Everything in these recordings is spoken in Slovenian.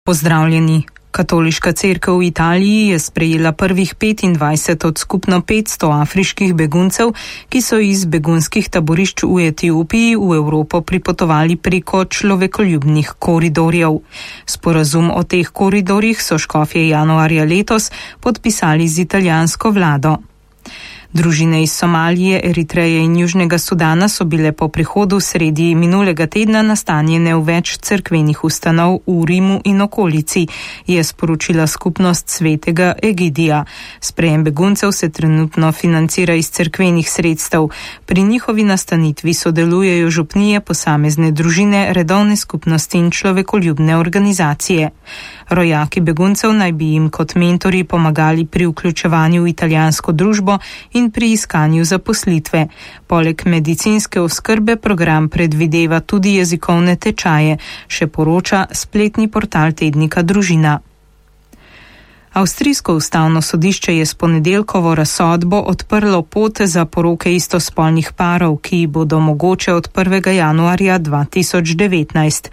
Pozdravljeni. Katoliška cerkev v Italiji je sprejela prvih 25 od skupno 500 afriških beguncev, ki so iz begunskih taborišč v Etiopiji v Evropo pripotovali preko človekoljubnih koridorjev. Sporazum o teh koridorjih so škofje januarja letos podpisali z italijansko vlado. Družine iz Somalije, Eritreje in Južnega Sudana so bile po prihodu sredi minulega tedna nastanjene v več cerkvenih ustanov v Rimu in okolici, je sporočila skupnost Svetega Egidija. Sprejem beguncev se trenutno financira iz cerkvenih sredstev. Pri njihovi nastanitvi sodelujejo župnije, posamezne družine, redovne skupnosti in človekoljubne organizacije. Rojaki beguncev naj bi jim kot mentori pomagali pri vključevanju v italijansko družbo in pri iskanju zaposlitve. Poleg medicinske oskrbe program predvideva tudi jezikovne tečaje, še poroča spletni portal tednika Družina. Avstrijsko ustavno sodišče je s ponedeljkovo razsodbo odprlo pot za poroke istospolnih parov, ki bodo mogoče od 1. januarja 2019.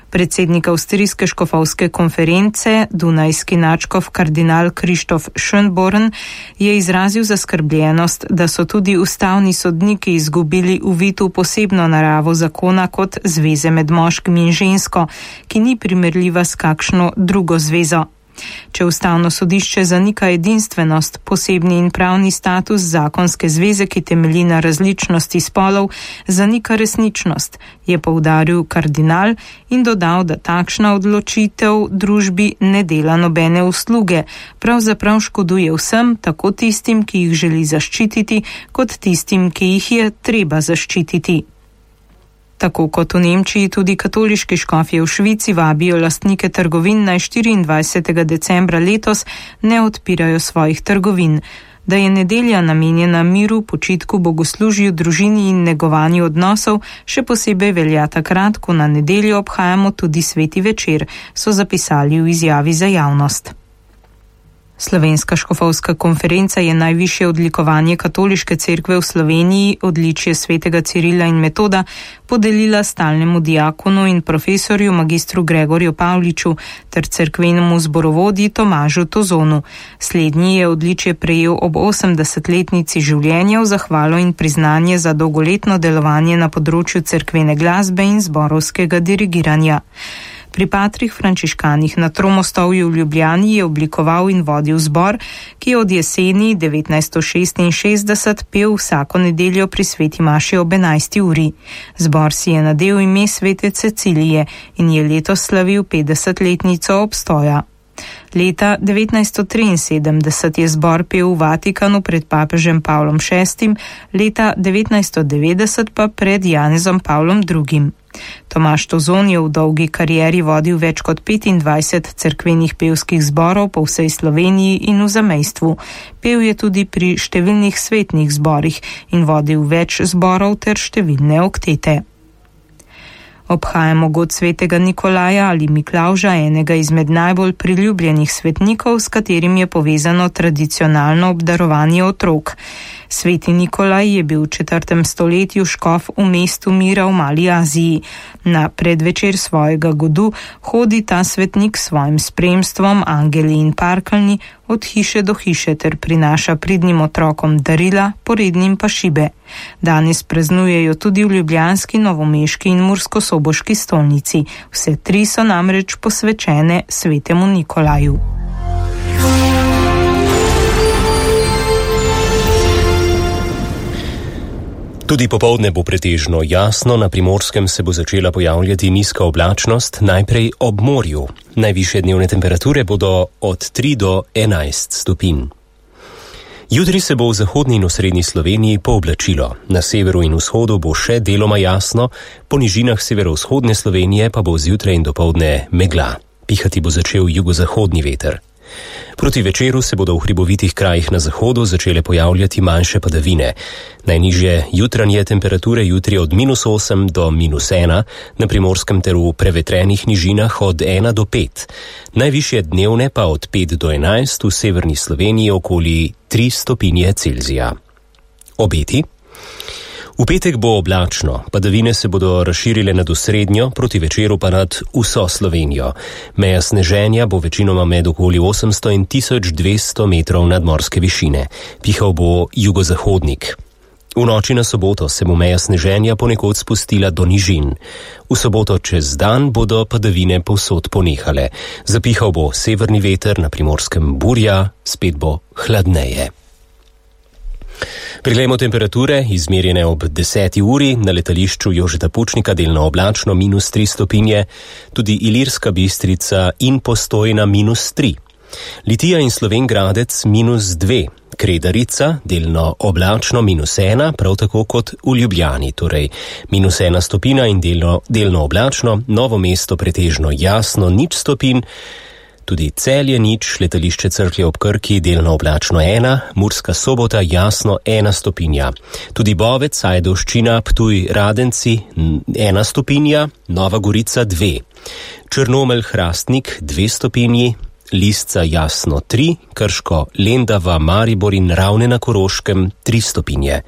Predsednik Avstrijske škofovske konference, dunajski nadškof kardinal Krištof Schönborn, je izrazil zaskrbljenost, da so tudi ustavni sodniki izgubili uvid v posebno naravo zakona kot zveze med moškim in žensko, ki ni primerljiva s kakšno drugo zvezo. Če ustavno sodišče zanika edinstvenost, posebni in pravni status zakonske zveze, ki temelji na različnosti spolov, zanika resničnost, je poudaril kardinal in dodal, da takšna odločitev družbi ne dela nobene usluge, pravzaprav škoduje vsem, tako tistim, ki jih želi zaščititi, kot tistim, ki jih je treba zaščititi. Tako kot v Nemčiji, tudi katoliški škofje v Švici vabijo lastnike trgovin naj 24. decembra letos ne odpirajo svojih trgovin. Da je nedelja namenjena miru, počitku, bogoslužju, družini in negovanju odnosov, še posebej velja takrat, ko na nedeljo obhajamo tudi sveti večer, so zapisali v izjavi za javnost. Slovenska škofovska konferenca je najvišje odlikovanje katoliške cerkve v Sloveniji, odličje svetega Cirila in Metoda, podelila stalnemu diakonu in profesorju magistru Gregorju Pavliču ter cerkvenemu zborovodji Tomažu Tozonu. Slednji je odličje prejel ob 80-letnici življenja v zahvalo in priznanje za dolgoletno delovanje na področju cerkvene glasbe in zborovskega dirigiranja. Pri patrih frančiškanih na Tromostovju v Ljubljani je oblikoval in vodil zbor, ki je od jeseni 1966 pel vsako nedeljo pri sveti maši ob 11. uri. Zbor si je nadel ime svete Cecilije in je letos slavil 50-letnico obstoja. Leta 1973 je zbor pel v Vatikanu pred papežem Pavlom VI, leta 1990 pa pred Janezom Pavlom II. Tomaž Tozon je v dolgi karieri vodil več kot 25 cerkvenih pevskih zborov po vsej Sloveniji in v zamejstvu. Pel je tudi pri številnih svetnih zborih in vodil več zborov ter številne oktete. Obhajamo god svetega Nikolaja ali Miklavža, enega izmed najbolj priljubljenih svetnikov, s katerim je povezano tradicionalno obdarovanje otrok. Sveti Nikolaj je bil v 4. stoletju škof v mestu Mira v Mali Aziji. Na predvečer svojega godu hodi ta svetnik s svojim spremstvom, angeli in parkeljni, od hiše do hiše ter prinaša pridnim otrokom darila, porednim pa šibe. Danes praznujejo tudi v ljubljanski, novomeški in murskosoboški stolnici. Vse tri so namreč posvečene svetemu Nikolaju. Tudi popoldne bo pretežno jasno, na Primorskem se bo začela pojavljati nizka oblačnost, najprej ob morju. Najvišje dnevne temperature bodo od 3 do 11 stopinj. Jutri se bo v zahodni in osrednji Sloveniji pooblačilo. Na severu in vzhodu bo še deloma jasno, po nižinah severovzhodne Slovenije pa bo zjutraj in dopoldne megla. Pihati bo začel jugozahodni veter. Proti večeru se bodo v hribovitih krajih na zahodu začele pojavljati manjše padavine. Najnižje jutranje temperature jutri od -8 do -1, na Primorskem ter v prevetrenih nižinah od 1 do 5. Najvišje dnevne pa od 5 do 11 v severni Sloveniji okoli 3 stopinje Celzija. Obeti. V petek bo oblačno, padavine se bodo razširile nad osrednjo, proti večeru pa nad vso Slovenijo. Meja sneženja bo večinoma med okoli 800 in 1200 metrov nadmorske višine. Pihal bo jugozahodnik. V noči na soboto se bo meja sneženja ponekod spustila do nižin. V soboto čez dan bodo padavine povsod ponehale. Zapihal bo severni veter, na Primorskem burja, spet bo hladneje. Preglejmo temperature, izmerjene ob 10. uri, na letališču Jožeta Pučnika delno oblačno -3 stopinje, tudi Ilirska Bistrica in Postojna -3. Litija in Slovenj Gradec -2, Kredarica delno oblačno -1, prav tako kot v Ljubljani, torej -1 stopinja in delno oblačno, Novo mesto pretežno jasno 0 stopinj, tudi Celje 0, letališče Cerklje ob Krki delno oblačno 1, Murska Sobota jasno 1 stopinja. Tudi Bovec, Ajdovščina, Ptuj, Radenci 1 stopinja, Nova Gorica 2. Črnomelj, Hrastnik 2 stopinji, Lisca jasno 3, Krško, Lendava, Maribor in Ravne na Koroškem 3 stopinje.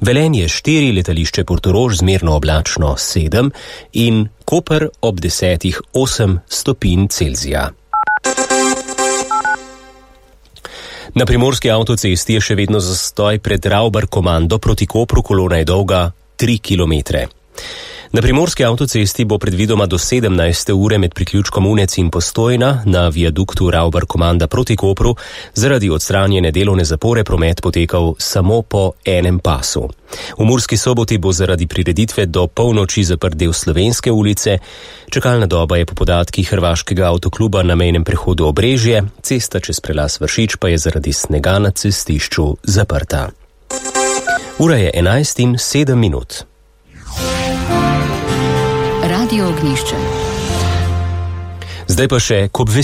Velenje 4, letališče Portorož zmerno oblačno 7 in Koper ob 10 8 stopinj Celzija. Na primorski avtocesti je še vedno zastoj pred Ravbar-Komando proti Kopru, kolona je dolga 3 kilometre. Na primorski avtocesti bo predvidoma do 17. ure med priključkom Unec in Postojna na viaduktu Ravbar-Komanda proti Kopru zaradi odstranjene delovne zapore promet potekal samo po enem pasu. V Murski Soboti bo zaradi prireditve do polnoči zaprt del Slovenske ulice, čakalna doba je po podatkih Hrvaškega avtokluba na mejnem prehodu Obrežje, cesta čez prelaz Vršič pa je zaradi snega na cestišču zaprta. Ura je 11:07. Radio Ognjišče. Zdaj pa še k obvestilu.